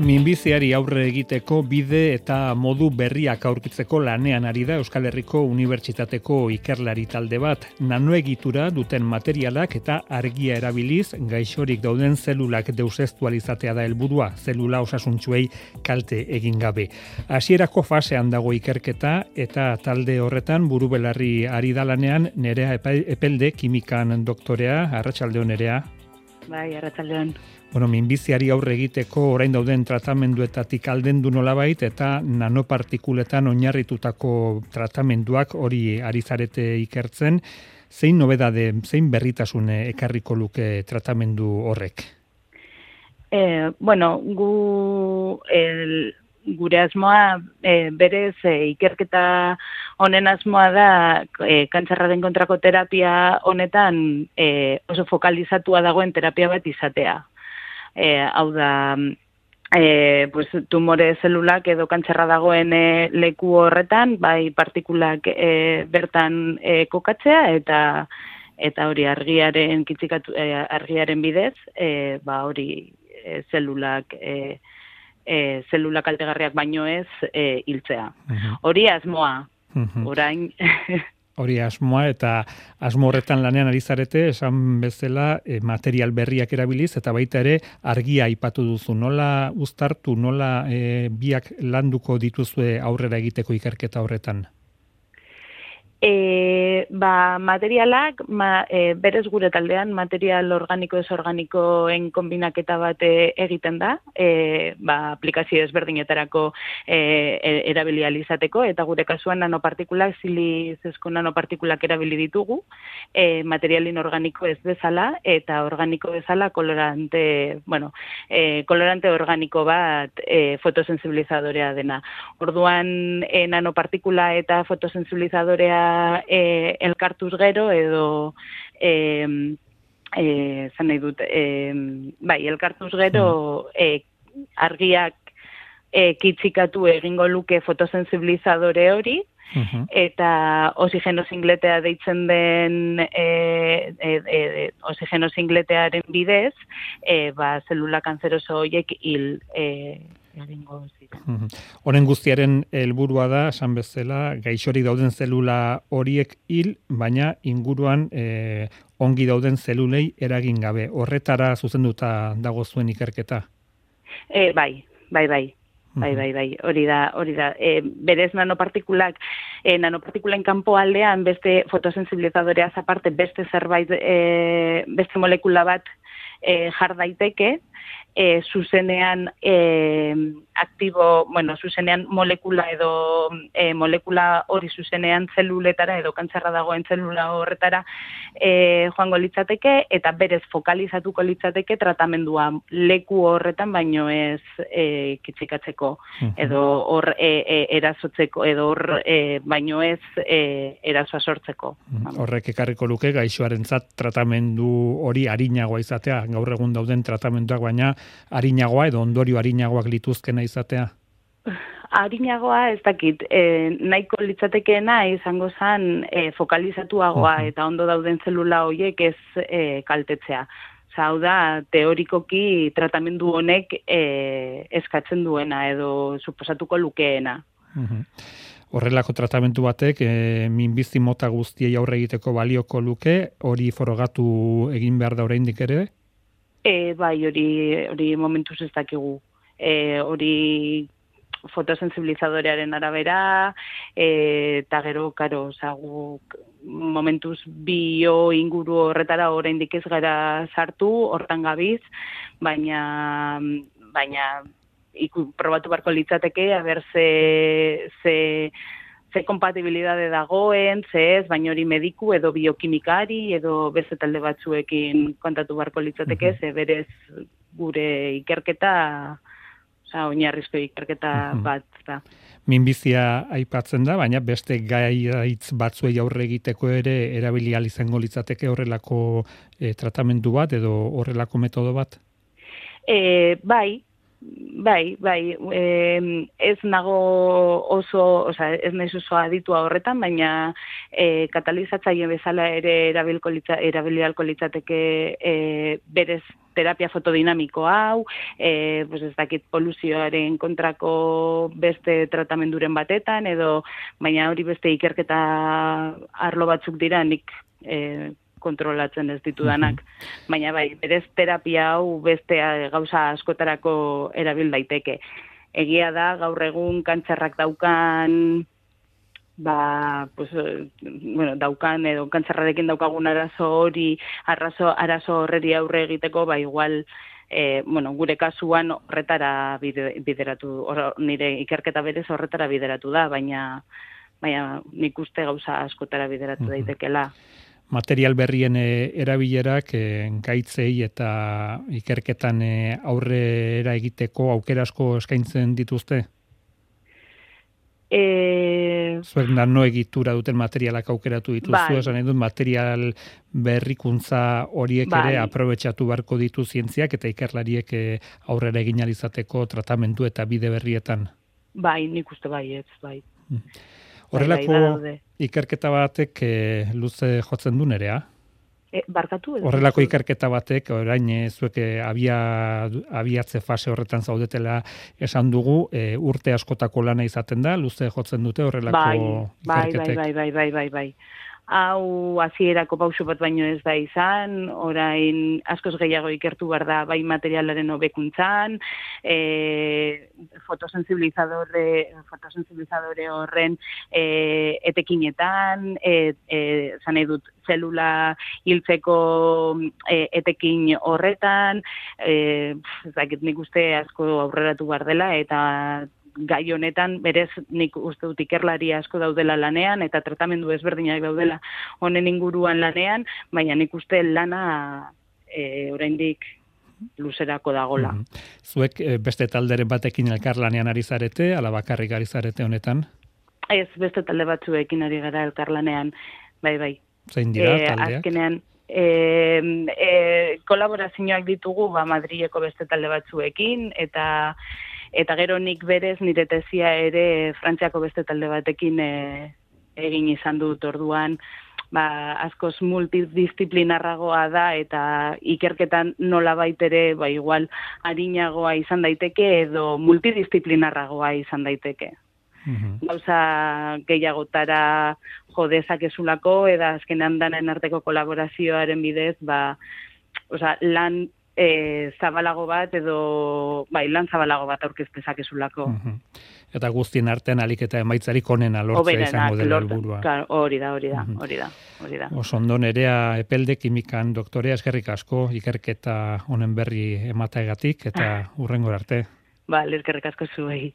Minbiziari aurre egiteko bide eta modu berriak aurkitzeko lanean ari da Euskal Herriko Unibertsitateko ikerlari talde bat. Nanoegitura duten materialak eta argia erabiliz gaixorik dauden zelulak deuseztualizatea da helburua, zelula osasuntsuei kalte egin gabe. Hasierako fasean dago ikerketa eta talde horretan burubelarri ari da lanean Nerea Epelde kimikan doktorea. Arratsaldeon, Nerea. Bai, arratsaldeon. Minbiziari aurre egiteko orain dauden tratamenduetatik aldendu nolabait eta nanopartikuletan oinarritutako tratamenduak hori ari zarete ikertzen. Zein nobedade, zein berritasun ekarriko luke tratamendu horrek? Gure asmoa berez ikerketa honen asmoa da kantzerraren kontrako terapia honetan oso fokalizatua dagoen terapia bat izatea. Hau da, tumore zelulak edo kantzerra dagoen leku horretan, bai partikulak bertan kokatzea eta hori argiaren bidez, hori zelulak zelula kaltegarriak baino ez hiltzea. Hori asmoa, orain... Hori asmoa eta asmo horretan lanean ari zarete, esan bezala material berriak erabiliz eta baita ere argia aipatu duzu. Nola uztartu, nola biak landuko dituzue aurrera egiteko ikerketa horretan? Materialak, berez gure taldean, material organiko ez organikoen kombinaketa bat egiten da, aplikazio ezberdinetarako erabili ahal izateko, eta gure kasuan nanopartikulak, silizezko nanopartikulak erabili ditugu, materialin organiko ez bezala, eta organiko bezala kolorante organiko bat fotosensibilizadorea dena. Orduan, nanopartikula eta fotosensibilizadorea elkartuz gero edo elkartuz gero argiak kitzikatu egingo luke fotosensibilizadore hori eta oxigeno singletea deitzen den oxigeno singletearen bidez zelula kanzeroso horiek hil Honen guztiaren helburua da, esan bezala, gaixorik dauden zelula horiek hil, baina inguruan ongi dauden zelulei eragin gabe. Horretara zuzenduta dago zuen ikerketa? Bai. Hori da. Berez nanopartikulen kanpo aldean beste fotosensibilizadoreaz aparte beste zerbait, beste molekula bat jar daiteke, zuzenean zuzenean molekula edo molekula hori zuzenean zeluletara edo kantzerra dagoen zelula horretara joango litzateke eta berez fokalizatuko litzateke tratamendua leku horretan baino ez kitzikatzeko edo hor erasotzeko edo hor baino ez erasoa sortzeko. Horrek ekarriko luke gaixoarentzat tratamendu hori arinagoa izatea, gaur egun dauden tratamenduak baina arinagoa edo ondorio arinagoak lituzkena izatea? Arinagoa ez dakit, nahiko litzatekeena izango zen fokalizatuagoa eta ondo dauden zelula horiek ez kaltetzea. Hau da, teorikoki tratamendu honek eskatzen duena edo suposatuko lukeena. Horrelako tratamendu batek minbizi mota guztiei aurre egiteko balioko luke, hori forogatu egin behar da oraindik ere? Bai, hori momentuz ez dakigu. Hori fotosensibilizadorearen arabera, eta gero, guk momentuz bio inguru horretara oraindik ez gara sartu, hortan gabiz, baina probatu barko litzateke, aber ze kompatibilidade dagoen, ez, baina hori mediku edo biokimikari edo beste talde batzuekin kontatu barko litzateke, ze berez gure ikerketa, oinarrizko ikerketa bat da. Minbizia aipatzen da, baina beste gaitz batzuei aurre egiteko ere erabili ahal izango litzateke horrelako tratamendu bat edo horrelako metodo bat? Bai, Bai, ez nago ez naiz oso aditua horretan, baina katalizatzaile bezala ere erabili ahalko litzateke berez terapia fotodinamiko hau, pues ez dakit poluzioaren kontrako beste tratamenduren batetan, baina hori beste ikerketa arlo batzuk dira nik kontrolatzen ez ditudanak, baina bai, berez terapia hau beste gauza askotarako erabil daiteke. Egia da, gaur egun kantzerrak daukan, daukan edo kantzerrarekin daukagun arazo horreri aurre egiteko, igual, gure kasuan horretara bideratu, nire ikerketa berez horretara bideratu da, baina nik uste gauza askotara bideratu daitekela. Material berrien erabilerak gaitzei eta ikerketan aurrera egiteko aukera asko eskaintzen dituzte? Zuek nano egitura duten materialak aukeratu dituzu, esan nahi dut material berrikuntza horiek ere aprobetxatu beharko ditu zientziak eta ikerlariek aurrera egin ahal izateko tratamendu eta bide berrietan. Bai, nik uste bai. Horrelako ikerketa batek luze jotzen du nerea? Barkatu? Horrelako ikerketa batek, orain zuek abiatze fase horretan zaudetela esan dugu, urte askotako lana izaten da, luze jotzen dute horrelako ikerketek. Bai. Hau hasierako pauso bat baino ez da izan, orain askoz gehiago ikertu behar da bai materialaren hobekuntzan, fotosensibilizadore horren etekinetan, zan nahi dut zelula hiltzeko etekin horretan, ez dakit nik uste asko aurreratu behar dela, eta gai honetan berez nik uste dut ikerlari asko daudela lanean eta tratamendu ezberdinak daudela honen inguruan lanean, baina nik uste lana oraindik luzerako dagola. Zuek beste talderen batekin elkarlanean ari zarete, ala bakarrik ari zarete honetan? Ez, beste talde batzuekin ari gara elkarlanean, bai. Zein dira taldeak? Azkenean, kolaborazioak ditugu Madrileko beste talde batzuekin, eta gero nik berez nire tesia ere Frantziako beste talde batekin egin izan dut orduan, askoz multidisciplinarragoa da eta ikerketan nolabait ere igual arinagoa izan daiteke edo multidisciplinarragoa izan daiteke. Gauza gehiagotara dezakezulako eta azkenean danen arteko kolaborazioaren bidez, lan zabalago bat edo lan zabalago bat aurkeztezakezulako. Eta guztien artean alik eta emaitzarik onena lortzea izango dela helburua. Hori da. Oso ondo Nerea Epelde kimikan doktorea, eskerrik asko ikerketa honen berri emateagatik eta hurrengora arte. Eskerrik asko zuei.